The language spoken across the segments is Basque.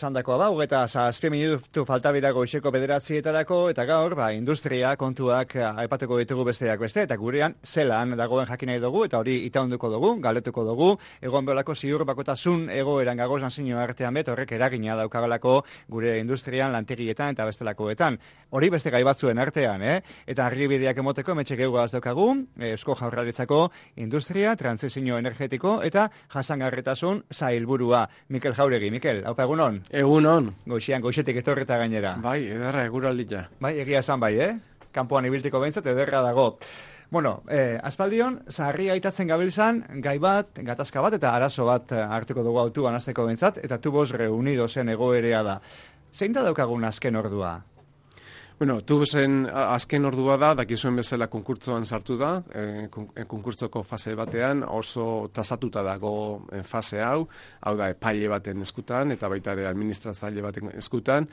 esandakoa ba, 27 minutu falta dira goizeko 9:00 eta gaur, industria kontuak aipatuko ditugu besteak beste, eta gurean zelan dagoen jakin nahi dugu, eta hori itaunduko dugu, galdetuko dugu, egon beholako ziur bakotasun egoeran gagozan zino artean bet, horrek eragina daukagalako gure industrian, lantegietan eta bestelakoetan. Hori beste gai batzuen artean, eta argibideak emoteko emetxe geugaz daukagu, Eusko Jaurlaritzako industria, transizio energetiko eta jasangarritasun sailburua. Mikel Jauregi, Mikel, haupa egunon? Egunon. Goixetik etorreta gainera. Bai, ederra eguraldia. Bai, egia esan bai, Kanpoan ibiltiko behintzat ederra dago. Bueno, aspaldion, zaharria aitatzen gabiltzan, gai bat, gatazka bat eta arazo bat hartuko dugu autuan azteko behintzat, eta Tubos Reunidosen egoerea da. Zein da daukagun azken ordua? Bueno, Tubosen azken ordua da, dakizuen bezala konkurtzoan sartu da, konkurtzoko fase batean oso tasatuta dago fase hau da epaile baten eskutan eta baita ere administratzaile baten eskutan,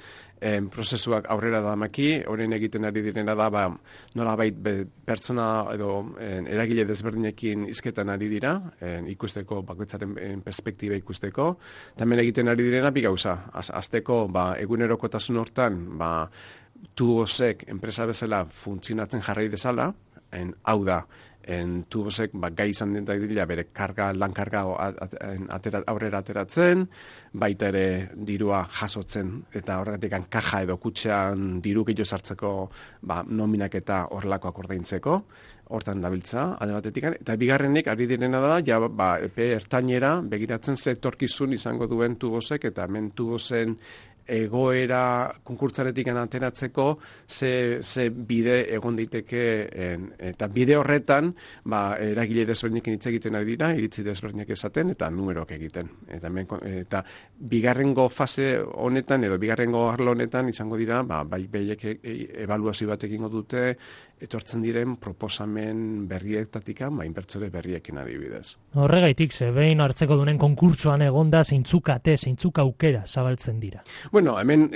prozesuak aurrera da maki, horren egiten ari direna da, nolabait pertsona edo eragile desberdinekin hizketan ari dira, ikusteko, bakoitzaren perspektiba ikusteko, tamen egiten ari direna bi gauza, azteko egunerokotasun hortan, Tubosek enpresa bezala funtzionatzen jarrai dezala, hau da, Tubosek gai izan den dira bere lan-karga aurrera ateratzen, baita ere dirua jasotzen, eta horregatik kaja edo kutxean diru gehiago sartzeko nominak eta horrelakoak ordaintzeko, hortan dabiltza, alde batetik, eta bigarrenik ari direna da, epe ertainera begiratzen ze etorkizun izango duen Tubosek, eta hemen Tubosen egoera konkurtzaretik ateratzeko ze bide egon daiteke, eta bide horretan eragile desberdinekin hitz egiten ari dira, iritzi desberdinak esaten eta numeroak egiten. Eta bigarrengo fase honetan edo bigarrengo arlo honetan izango dira, beiek ebaluazio bat egingo dute etortzen diren proposamen berrietatik, inbertsore berriekin adibidez. Horregaitik, behin hartzeko dunen konkurtsoan egonda zeintzuk aukera zabaltzen dira. Bueno, hemen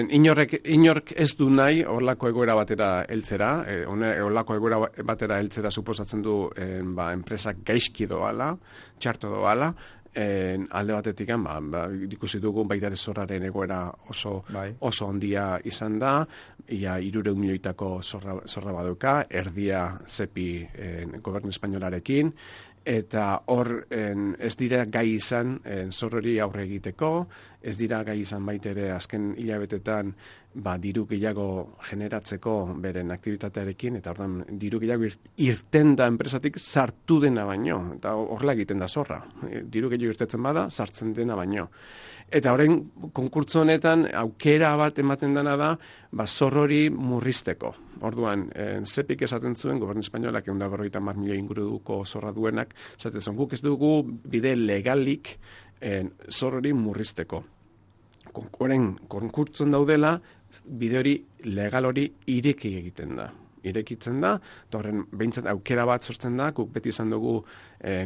inork ez du nahi horlako egoera batera heltzera, horlako egoera batera heltzera suposatzen du enpresak gaizki doala, txarto doala, alde batetik, ikusi dugu baita ere zorraren egoera oso handia izan da, ia 300 milioitako zorra baduka, erdia zepi gobernu espainolarekin, eta hor ez dira gai izan zorrori aurre egiteko, ez dira gai izan baita ere azken hilabetetan diru gehiago generatzeko beren aktibitatearekin, eta ordan diru gehiago irten da enpresatik sartu dena baino, eta horrela egiten da zorra. Diru gehiago irtetzen bada, sartzen dena baino. Eta orain konkurtso honetan aukera bat ematen dena da, zorrori murrizteko. Orduan, zepik esaten zuen, gobernu espainolak 150 milioi inguruko zorra duenak, esaten zuen, guk ez dugu bide legalik zorrori murrizteko. Orain, konkurtson daudela, bide hori, legal hori irekitzen da, eta horren behintzat aukera bat sortzen da, guk beti izan dugu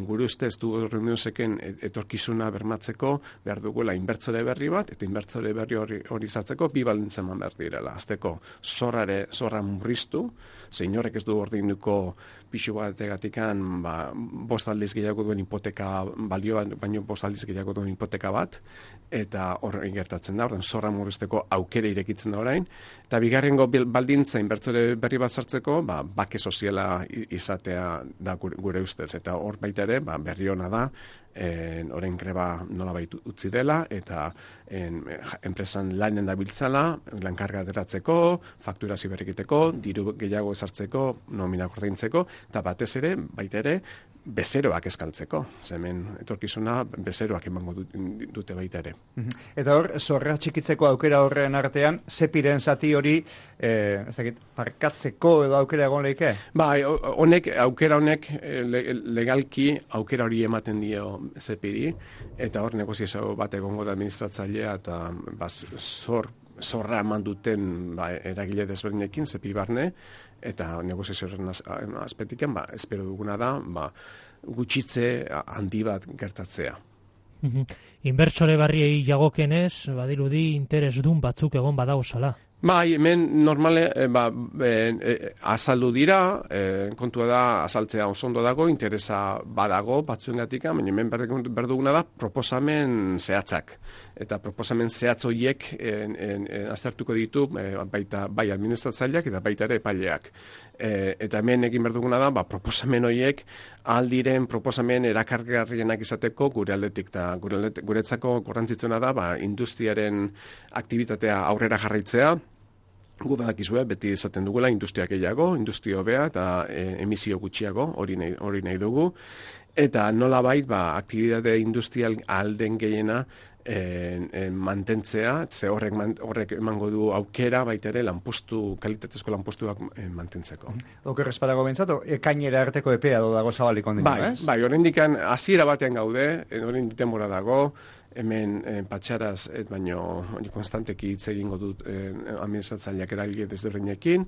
gure ustez Tubos Reunidoseken etorkizuna bermatzeko behar dugula inbertsore berri bat, eta inbertsore berri hori izatzeko bi baldintza eman behar direla. Azteko zorra murriztu, zein horrek ez du ordainduko pixu bategatikan 5 aldiz gehiago duen hipoteka balioan, baino 5 aldiz gehiago duen hipoteka bat, eta horrein gertatzen da, horren zorra murrizteko aukera irekitzen da orain, eta bigarrengo baldintza inbertsore berri bat sartzeko, bake soziala izatea da gure ustez, eta hor baita ere, berri hona da, orain greba nolabait utzi dela, eta enpresan lanen dabiltzala, lankarga ateratzeko, fakturazio berrikiteko, diru gehiago esartzeko, nominak ordaintzeko, eta batez ere, baita ere, bezeroak eskaltzeko. Hemen etorkizuna bezeroak emango dute baita ere. Eta hor, zorra txikitzeko aukera horren artean, zepiren zati hori, parkatzeko edo aukera egon lehike? Aukera honek legalki aukera hori ematen dio zepiri, eta hor negoziazio bat egongo da administratzailea, eta zorra eman duten eragile desberdinekin, zepi barne, eta negoziazioaren aspetiken, espero duguna da, gutxitze handi bat gertatzea. Inbertsore barriei jagokenez, badirudi interesdun batzuk egon badauzala. Bai, hemen normale azaldu dira, kontua da azaltzea oso ondo dago, interesa badago batzuengatik, baina hemen berduguna da proposamen zehatzak. Eta proposamen zehatz horiek aztertuko ditu baita bai administratzaileak eta baita ere epaileak. Eta hemen egin berduguna da, proposamen horiek aldiren proposamen erakargarrienak izateko gure aldetik. Ta guretzako garrantzitsuena da, industriaren aktibitatea aurrera jarraitzea. Gu badakizue, beti esaten dugula industria gehiago, industria hobea eta emisio gutxiago, hori nahi dugu. Eta nolabait, aktibitate industrial alden gehiena mantentzea, ze horrek emango du aukera baita ere kalitatezko lanpostuak mantentzeko. Oker espadago bentsatu, ekainera arteko epea dago zabalik ondino, ez? Bai, oraindikan hasiera batean gaude, oraindik denbora dago, hemen patxaraz, baino konstanteki hitz egingo dut administratzaileak eragile desberdinekin,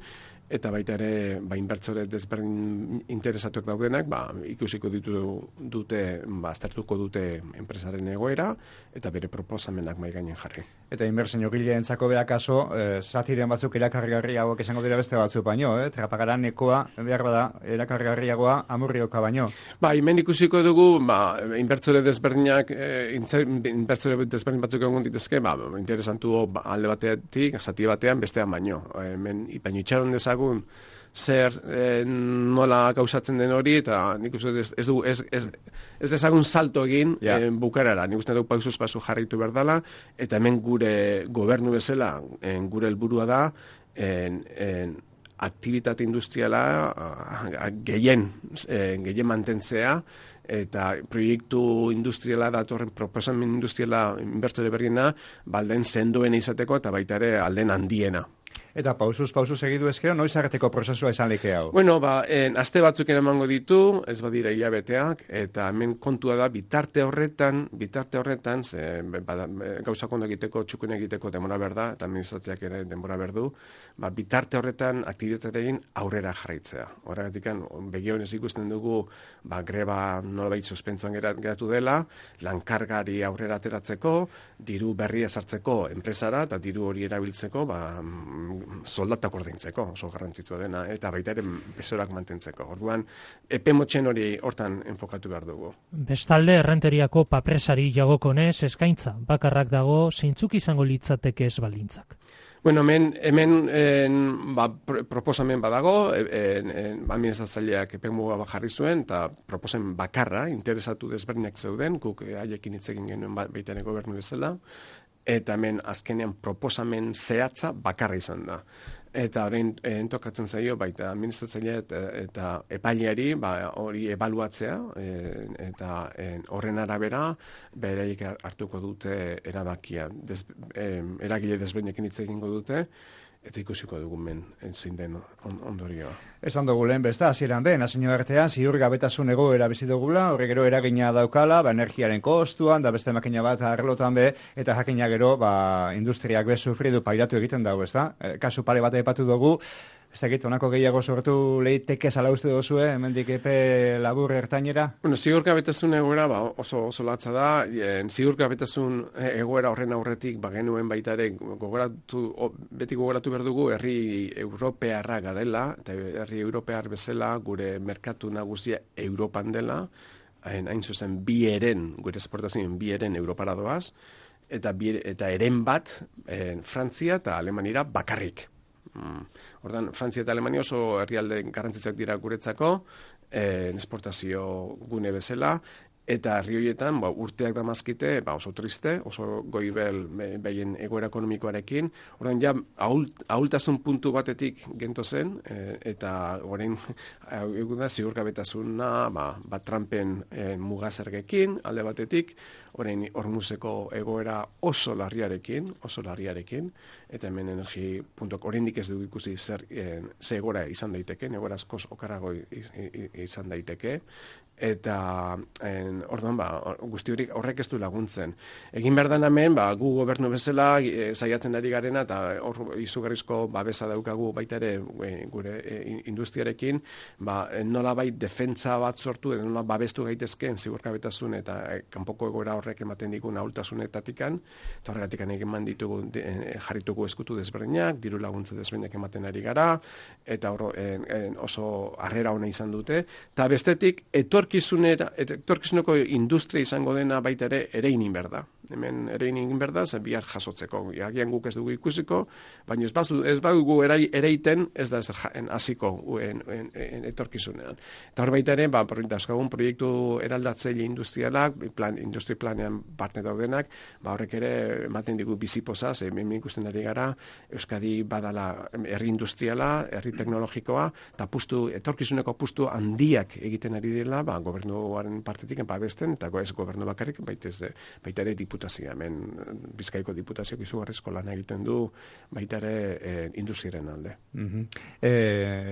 eta baita ere, inbertsore desberdin interesatuak daudenak, ikusiko dute, aztertuko dute enpresaren egoera, eta bere proposamenak mahai gainen jarri. Eta inbertsio gileentzako beakaso, zatiren batzuk erakargarriagoak izango dira beste batzuk baino, trapagaran ekoa, behar bada, erakargarriagoa amurrioka baino. Hemen ikusiko dugu, inbertsore desberdinak, inbertsore desberdin batzuk egon ditezke, interesantu alde batetik, zati batean, bestean baino. Hemen, baino itxaron dezagun, zer nola gauzatzen den hori, eta nik uste ez dezagun salto egin bukarara. Nik uste dugu pausuz pasu jarraitu behar dela, eta hemen gure gobernu bezala, gure helburua da, aktibitate industriala gehien mantentzea, eta proiektu industriala datorren proposamen industriala inbertsore berriena, balden sendoen izateko eta baita ere alden handiena. Eta pausuz segidu ezkero, noiz arteko prozesua izan leke hau? Bueno, aste batzuk emango ditu, ez badira hilabeteak, eta hemen kontua da bitarte horretan, gauzak ondo egiteko, txukun egiteko denbora berda, eta administratzeak ere denbora berdu, bitarte horretan aktibitateekin aurrera jarraitzea. Horregatik, begionez ikusten dugu, greba nolabait suspentsoan geratu dela, lankargari aurrera ateratzeko, diru berria sartzeko enpresara, eta diru hori erabiltzeko, soldatak ordaintzeko, oso garrantzitsua dena, eta baita ere besorak mantentzeko. Orduan, epe motxen hori hortan enfokatu behar dugu. Bestalde, errenteriako papresari jagokonez eskaintza, bakarrak dago, zeintzuk izango litzateke ez baldintzak. Bueno, hemen proposamen badago, administratzaileak epemuga jarri zuen, eta proposamen bakarra, interesatu desberdinak zeuden, guk haiekin hitz egin genuen baita ere gobernu bezala, eta hemen azkenean proposamen zehatza bakarra izan da. Eta orain tokatzen zaio baita administratzailea eta epaileari hori ebaluatzea, eta horren arabera bereik hartuko dute erabakia. Eragile desberdinekin hitz egingo dute, eta ikusiko dugun zein den ondorioa. Esan dugu lehen besta, hasieran den, hasino artean, ziurgabetasun egoera bizi dugula, horre gero eragina daukala, energiaren kostuan, da beste makina bat arlotan eta jakina gero, industriak sufridu pairatu egiten dago, ez da? Kasu pare bat aipatu dugu, ez dakit, honako gehiago sortu lehiteke zala uste duzue, hemendik epe labur ertainera? Bueno, ziurgabetasun egoera oso latza da, ziurgabetasun egoera horren aurretik genuen baita ere beti gogoratu behar dugu herri europearra garela, eta herri europear bezala gure merkatu nagusia Europan dela, hain zuzen gure esportazioen bi eren Europara doaz, eta eren bat Frantzia eta Alemanira bakarrik. Ordan Frantzia eta Alemania oso herrialde garrantzitsuak dira guretzako, esportazio gune bezala, eta herri horietan urteak damazkite oso triste, oso goibel behien egoera ekonomikoarekin. Ordan ja ahultasun puntu batetik gento zen, eta orain egun da ziurgabetasuna Trumpen mugazergekin alde batetik, orain Hormuzeko egoera oso larriarekin, eta hemen energi puntuak oraindik ez dugu ikusi ze egoera izan daiteke, egoera askoz okarrago izan daiteke, eta orduan guzti horrek ez du laguntzen. Egin behar den hemen, gu gobernu bezala saiatzen ari garena, eta izugarrizko babesa daukagu baita ere gure industriarekin, nolabait defentsa bat sortu, edo nola babestu gaitezkeen ziurgabetasun eta kanpoko egoera horrek ematen digun ahultasunetatikan, eta horregatik eman ditugu jarritugu eskutu desberdinak, diru laguntza desberdinak ematen ari gara, eta oso harrera ona izan dute, eta bestetik etorkizuneko industria izango dena baita ere egin berda. Hemen ere egin berda, zen bihar jasotzeko. Agian guk ez dugu ikusiko, baina ez badugu ereiten, ez da ezer hasiko etorkizunean. Eta hor baita ere, dauzkagun proiektu eraldatzaile industrialak, industri planean parte daudenak, horrek ere ematen digu bizipozaz, hemen ikusten ari gara, Euskadi badala herri industriala, herri teknologikoa, eta etorkizuneko apustu handiak egiten ari dela, gobernuaren partetik babesten, eta ez gobernu bakarrik, baita ere diputazioa, hemen Bizkaiko diputazioak izugarrizko lan egiten du, baita ere industriaren alde.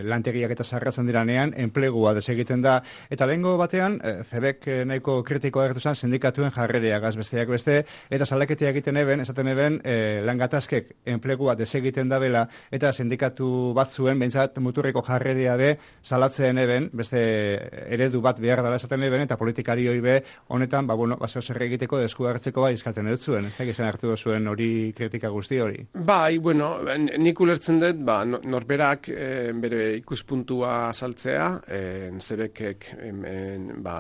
Lantegiak eta sarratzen diranean, enplegua desegiten da, eta lehengo batean, Cebek nahiko kritikoa agertu zen sindikatuen jarrerea besteak beste, eta salaketea egiten esaten eben, langatazkek enplegua desegiten da bela, eta sindikatu batzuen, behintzat muturreko jarrerea be, salatzen eben, beste eredu bat behar dela esaten eben, eta politikari hoi be, honetan, zeo zer egiteko desku hartzeko izkaten dut zuen, ez da gizan hartu zuen hori kritika guzti hori? Nik ulertzen dut, norberak bere ikuspuntua azaltzea, Cebekek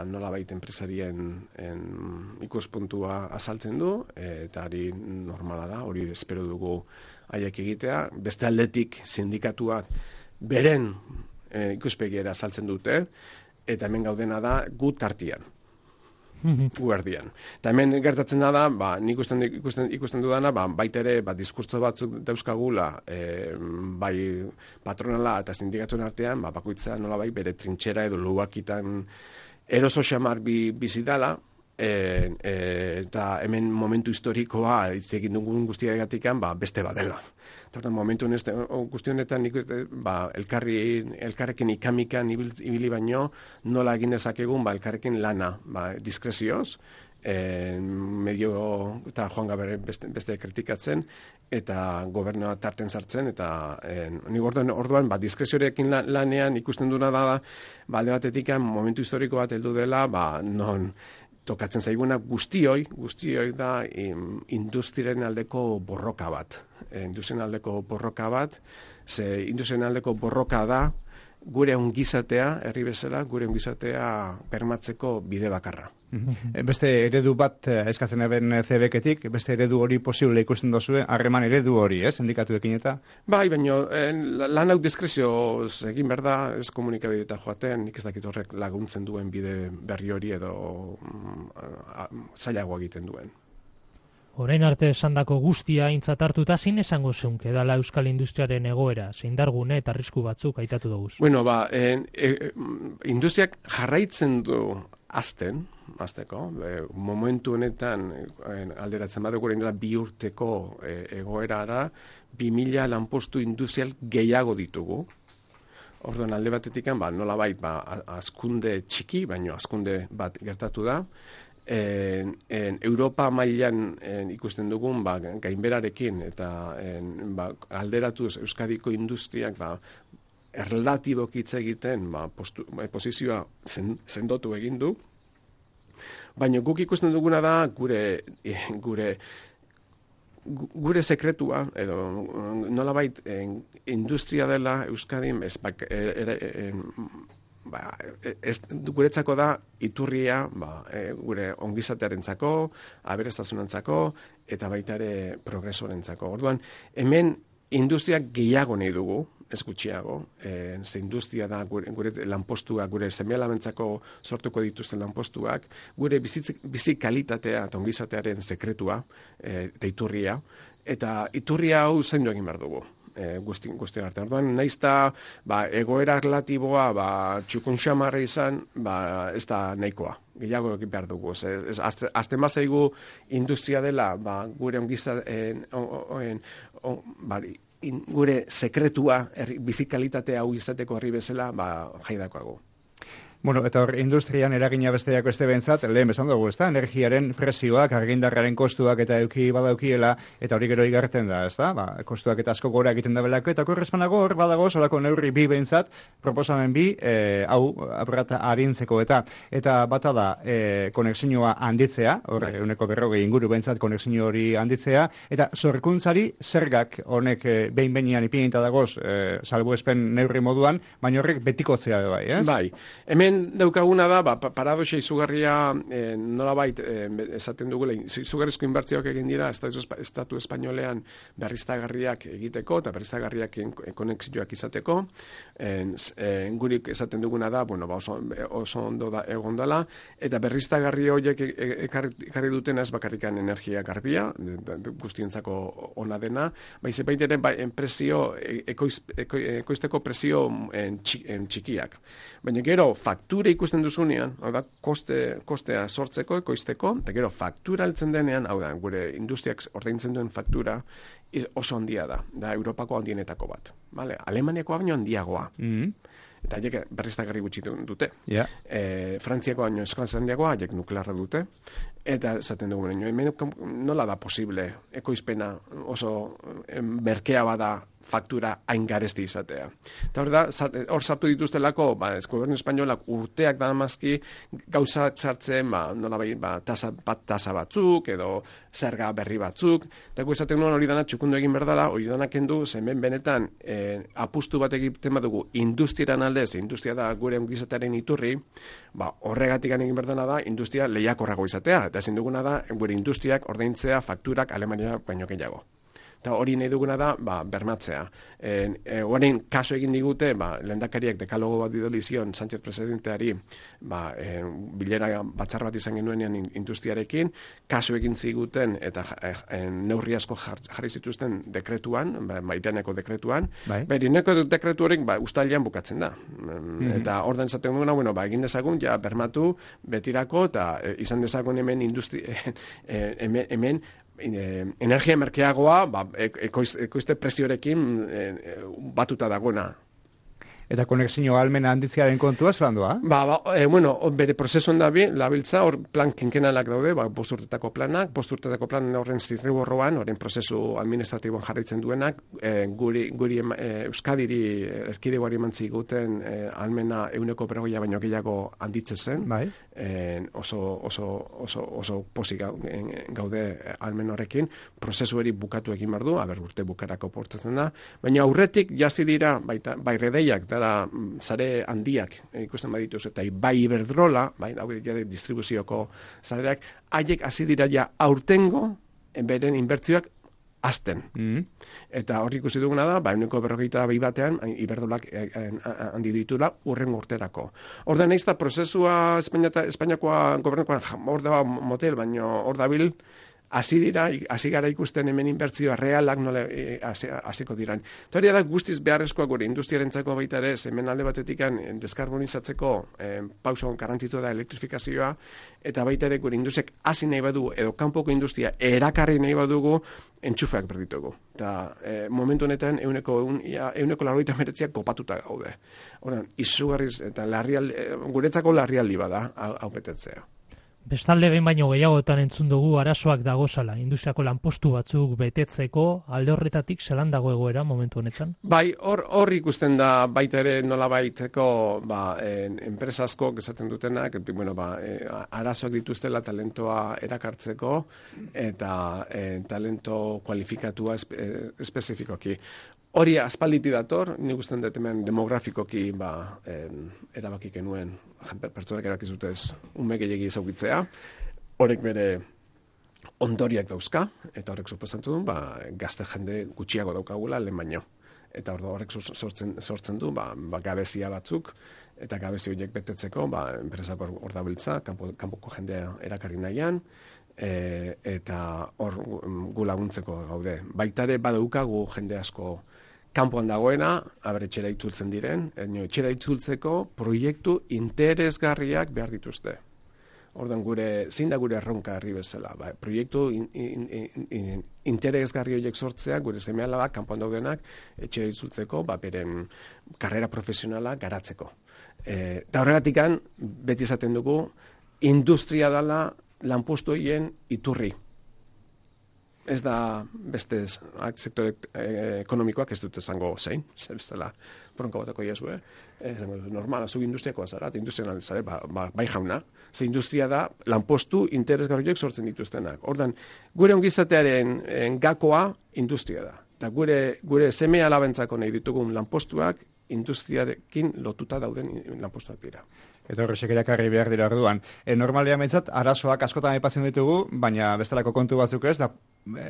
nolabait enpresarien ikuspuntua azaltzen du, eta hori normala da, hori espero dugu haiek egitea. Beste aldetik sindikatuak beren ikuspegiera azaltzen dute, eta hemen gaudena da gu tartian. Guardian. Eta hemen gertatzen da, nik ikusten dudana, baita ere, diskurtso batzuk dauzkagula, bai patronala eta sindikatuen artean, bakoitza nolabait bere trintxera edo lubakitan eroso xamar bizidala, eta hemen momentu historikoa hitz egin dugun guztiagatikan beste badela. Eta momentu guzti honetan elkarrekin ikamikan ibili baino nola egin dezakegun elkarrekin lana diskrezioz, medio eta joan gabe beste kritikatzen eta gobernua tarten sartzen, eta nik orduan diskreziorekin lanean ikusten duna da alde batetik momentu historiko bat heldu dela, non tokatzen zaiguna guztioi da industriaren aldeko borroka bat. Industriaren aldeko borroka da gure ongizatea, herri bezala, gure ongizatea bermatzeko bide bakarra. Beste eredu bat eskatzen eben Cebeketik, beste eredu hori posible ikusten dozue, harreman eredu hori, sindikatuekin eta? Baina lan hau diskrezioz egin behar da, ez komunikabideta joaten, nik ez dakit horrek laguntzen duen bide berri hori edo zailagoa egiten duen. Orain arte esandako guztia aintzat hartuta zein esango zeunke dala Euskal Industriaren egoera, zeindargune eta arrisku batzuk aitatu dugu. Industriak jarraitzen du azteko, momentu honetan alderatzen badugu orain dela 2 urteko egoerara 2000 lanpostu industrial gehiago ditugu. Orduan alde batetik nolabait hazkunde txiki, baino hazkunde bat gertatu da. Europa mailan ikusten dugun gainberarekin eta alderatuz Euskadiko industriak erlatibok hitz egiten posizioa sendotu egin du, baina guk ikusten duguna da gure sekretua edo nolabait industria dela Euskadin guretzako da iturria gure ongizatearentzako, aberastasunentzako eta baita ere progresorentzako. Orduan, hemen industriak gehiago nahi dugu, ez gutxiago, ze industria da gure lanpostuak, gure seme-alabentzako sortuko dituzten lanpostuak, gure bizi kalitatea eta ongizatearen sekretua eta iturria, eta iturria hau zaindu egin behar dugu. Guzti arte. Orduan, naizta egoera relatiboa txukun xamarra izan, ez da nahikoa. Gehiago egin behar dugu. Azten bazaigu industria dela gure gure sekretua bizikalitatea hau izateko herri bezala jaidakoago. Bueno, eta hor, industrian eragina besteak beste bentzat, lehen bezan dugu, ezta? Energiaren presioak, argindarraren kostuak eta eduki badaukiela, eta hori gero igarten da, ezta? Kostuak eta asko gora egiten da belako, eta korrespanago hor badago, solako neurri bi bentzat, proposamen bi, hau, apurat arintzeko eta bata da, konexioa handitzea, hor, euneko 40 inguru bentzat konexio hori handitzea, eta sorkuntzari zergak honek behin-behinean ipinita dagoz, salbuespen neurri moduan, baina horrek betikotzea bai, ez? Bai, hemen daukaguna da, paradoxa izugarria nolabait esaten dugula, izugarrizko inbertsioak egin dira estatu espainolean berriztagarriak egiteko eta berriztagarriak konexioak izateko. Gurik esaten duguna da, bueno, oso ondo da egon dela, eta berriztagarri horiek ekarri duten ez bakarrikan energia garbia, guztientzako ona dena, baiz ere presio ekoizteko presio txikiak. Baina gero faktura ikusten duzunean, hau da, kostea sortzeko, ekoizteko, eta gero faktura altzen denean, hau da, gure industriak ordaintzen duen faktura oso handia da Europako handienetako bat. Vale? Alemaniakoa baino handiagoa. Eta haiek berriztagarri gutxi dute. Yeah. Frantziakoa baino eskaz handiagoa, haiek nuklearra dute. Eta esaten dugu, hemen nola da posible ekoizpena oso merkea bada faktura hain garesti izatea. Eta hor sartu dituztelako, gobernu espainolak urteak daramazki gauza txartzen, tasa batzuk, edo zerga berri batzuk, eta esaten nuen hori dana txukundu egin berdala, hori dana kendu, zemen benetan apustu bat egiten badugu industriaren aldez, industria da gure ongizatearen iturri, horregatik egin berdana da, industria lehiakorrago izatea, eta ezin duguna da, gure industriak ordaintzea fakturak Alemania baino gehiago. Eta hori nahi duguna da, bermatzea. Horrein kaso egin digute, lehendakariak dekalogo bat didolizion Sánchez presidenteari, bilera batzar bat izan genuenean industriarekin, kaso egin ziguten eta neurri asko jarri zituzten dekretuan, Iraneko dekretuan, Iraneko dekretu horrek ustailean bukatzen da. Eta ordan zaten duguna, egin dezagun, bermatu betirako, eta izan dezagun hemen hemen energia merkeagoa ekoizte preziorekin batuta dagoena. Eta konexio ahalmena handitzearen kontua zelandua? Bere prozesuan da labiltza, hor plan kinkenalak daude, 5 urtetako planak, 5 urtetako plan horren zirriborroan, horren prozesu administratiboan jarraitzen duenak, guri Euskadiri erkidegoari mantzi guten ahalmena 100% baino gehiago handitzezen, oso posik gaude ahalmen horrekin, prozesu hori bukatu egin behar du, urte bukarako portzatzen da, baina aurretik jasi dira, bai redeiak, sare handiak ikusten badituz, eta bai Iberdrola, distribuzioko sareak, haiek hasi dira ja aurtengo beren inbertsioak azten. Eta hor ikusi duguna da, 142 batean Iberdrolak handi ditula urrengo urterako. Hor da nahiz da prozesua Espainiakoa gobernukoan hor da motel, baino hor dabil hasi gara ikusten hemen inbertsioa realak nola hasiko diran. Eta hori da guztiz beharrezkoa gure industriarentzako baita ere, hemen alde batetik deskarbonizatzeko pauso garrantzitsua da elektrifikazioa, eta baita ere gure industriak hasi nahi badu, edo kanpoko industria erakarri nahi badugu, entxufeak berditugu. Eta momentu honetan 199 kopatuta gaude. Horren, izugarriz eta guretzako larrialdi bada hau betetzea. Bestalde behin baino gehiagotan entzun dugu arazoak dagozala, industriako lanpostu batzuk betetzeko, alde horretatik zelan dago egoera momentu honetan? Bai, hor ikusten da baita ere nolabaiteko enpresa asko esaten dutenak, arazoak dituztela talentoa erakartzeko eta talento kualifikatua espezifikoki. Hori aspalditi dator, nik usten dut hemen demografikoki erabaki genuen pertsonak erakizutez ume gehiagi ezagutzea. Horrek bere ondoriak dauzka, eta horrek suposatzen du, gazte jende gutxiago daukagula lehen baino. Eta horrek sortzen du, gabezia batzuk, eta gabezi horiek betetzeko, enpresako hor dabiltza, kanpoko jendea erakarri nahian, eta hor gu laguntzeko gaude. Baitare badaukagu jende asko kanpoan dagoena, etxera itzultzen diren, etxera itzultzeko proiektu interesgarriak behar dituzte. Ordan zein da gure erronka herri bezala, proiektu interesgarri horiek sortzea, gure seme-alabak, kanpoan daudenak, etxera itzultzeko, beren karrera profesionala garatzeko. Eta horregatikan, beti esaten dugu, industria dela lanpostu horien iturri. Ez da beste sektore ekonomikoak ez dut esango zein, zer bezala bronka batako iazue, normala, zuk industriakoa zara, eta industrian zara, bai jauna, ze industria da lanpostu interesgarriak sortzen dituztenak. Ordan, gure ongizatearen gakoa industria da. Eta gure seme alabentzako nahi ditugun lanpostuak industriarekin lotuta dauden lanpostuak dira. Eta horrexek erakarri behar dira orduan. Normalean behintzat, arazoak askotan aipatzen ditugu, baina bestelako kontu batzuk ez, da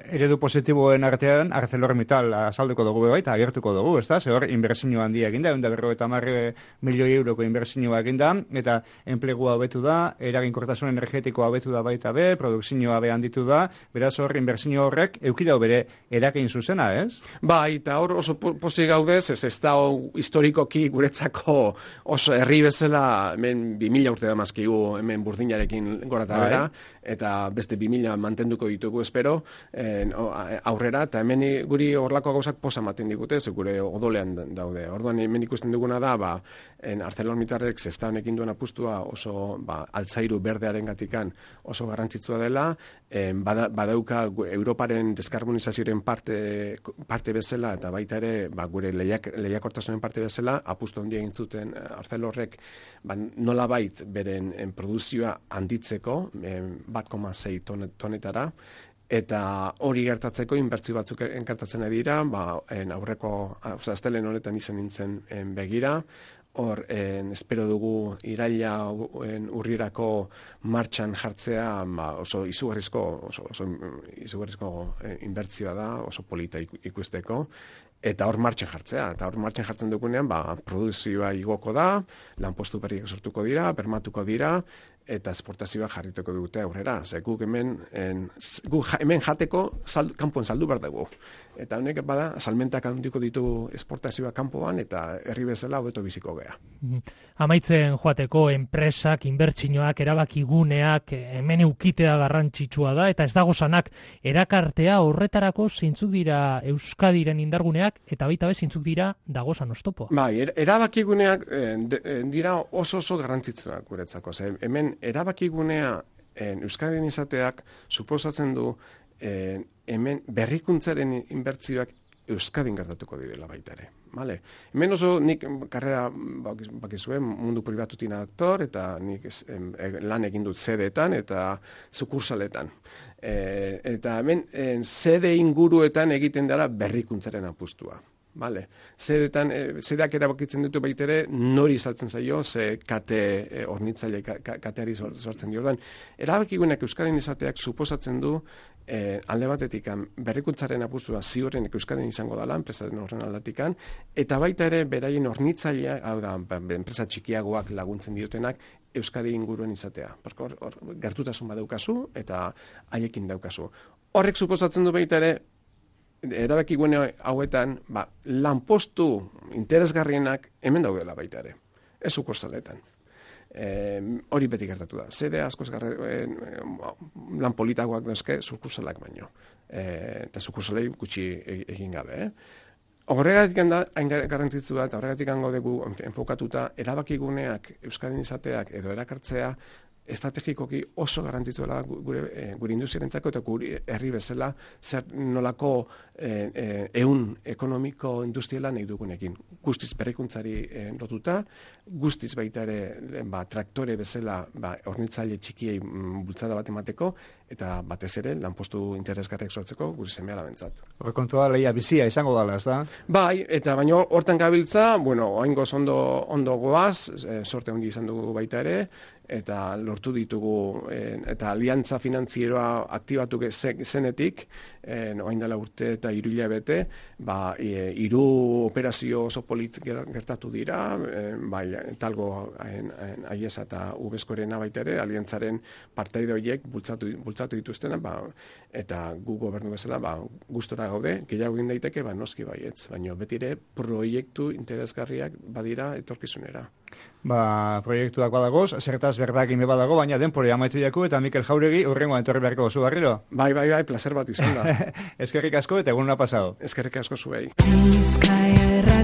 eredu positiboen artean ArcelorMittal azalduko dugu eta agertuko dugu, ez da? Ze hor, inbertsio handia eginda, 150 milioi euroko inbertsioa eginda, eta enplegua hobetu da, eraginkortasun energetikoa hobetu da baita be, produkzioa be handitu da, beraz hor, inbertsio horrek eukidau bere eragin zuzena, ez? Bai, eta hor oso pozik gaudez, ez da historikoki guretzako oso herri bezala, hemen 2000 urte da mazkigu, hemen burdinarekin gora eta bera, eta beste 2000 mantenduko ditugu espero, aurrera, eta hemen guri horlako gauzak posa maten digute, ze gure odolean daude. Orduan hemen ikusten duguna da, ArcelorMittalek zesta honekin duen apustua oso altzairu berdearen gatikan oso garrantzitsua dela, badauka Europaren deskarbonizazioaren parte bezala, eta baita ere gure lehiakortasunen parte bezala, apustu handia egin zuten Arcelorrek nolabait beren produzioa handitzeko, 1,6 tonetara, eta hori gertatzeko inbertsio batzuk gertatzen dira, aurreko, astelen honetan izan nintzen begira, hor, espero dugu iraila urrirako martxan jartzea oso izugarrizko inbertsioa da, oso polita ikusteko, eta hor martxan jartzea. Eta hor martxan jartzen dugunean, produzioa igoko da, lanpostu berriak sortuko dira, bermatuko dira, eta esportazioa jarrituko dute aurrera. Guk hemen jateko kanpoan saldu behar dugu. Eta honek salmentak handiko ditu esportazioa kanpoan, eta herri bezala hobeto biziko gea. Amaitzen joateko enpresak, inbertsioak, erabakiguneak, hemen eukitea garrantzitsua da, eta ez dago sanak erakartea horretarako zeintzuk dira Euskadiren indarguneak, eta baita zeintzuk dira dagozan oztopoa. Bai, erabakiguneak dira oso garrantzitsuak guretzako. Hemen erabakigunea Euskadin izateak suposatzen du hemen berrikuntzaren inbertsioak Euskadin gertatuko direla baita ere. Vale. Hemen oso nik karrera bakizuen mundu pribatutin aktor, eta nik lan egin dut sedeetan eta sukursaletan. Eta hemen sede inguruetan egiten dela berrikuntzaren apustua. Vale. Zedeak erabakitzen ditu baitere nori saltzen zaio, ze kate hornitzaile kateari sortzen dio. Erabakigunak Euskadin izateak suposatzen du alde batetik berrikuntzaren apustua ziurren Euskadin izango dela, enpresaren horren aldatikan, eta baita ere beraien hornitzailea, hau da, enpresa txikiagoak laguntzen diotenak, Euskadi inguruen izatea. Gertutasun badaukazu eta haiekin daukazu. Horrek suposatzen du baita ere erabakigune hauetan, lanpostu interesgarrienak hemen daudela baita ere. Ez sukursaletan. Hori beti gertatu da. Zede askoz lan politagoak dauzke sukursalak baino. Eta sukursalei gutxi egin gabe. Horregatik da, hain garrantzitsu da, eta horregatik dugu enfokatuta, erabakiguneak, Euskadin izateak edo erakartzea, estrategikoki oso garrantzitsuela gure industriarentzako eta gure herri bezala zer nolako ehun ekonomiko industriala nahi dugunekin. Guztiz berrikuntzari lotuta, guztiz baita ere traktore bezala hornitzaile txikiei bultzada bat emateko, eta batez ere lanpostu interesgarriak sortzeko gure seme-alabentzat. Horrekontua lehia bizia izango dela, ez da? Bai, eta baino hortan gabiltza, oingoz ondo goaz, sorte handi izan dugu baita ere, eta lortu ditugu, eta aliantza finantzieroa aktibatu zenetik, oain dela urte eta 3 hilabete, 3 operazio oso polit gertatu dira, talgo aiesa eta ubezkorena baita ere, aliantzaren partaide horiek bultzatu dituztena, eta gu gobernu bezala gustora gaude, gehiago egin daiteke, noski baietz, baina betire proiektu interesgarriak badira etorkizunera. Proiektuak badagoz, zertaz berdak ime badago, baina denpore amaitu jaku, eta Mikel Jauregi urrengoan etorri beharko zu barriro. Bai, placer bat izan da. Eskerrik asko eta egun pasao. Eskerrik asko zuei. Bizkaia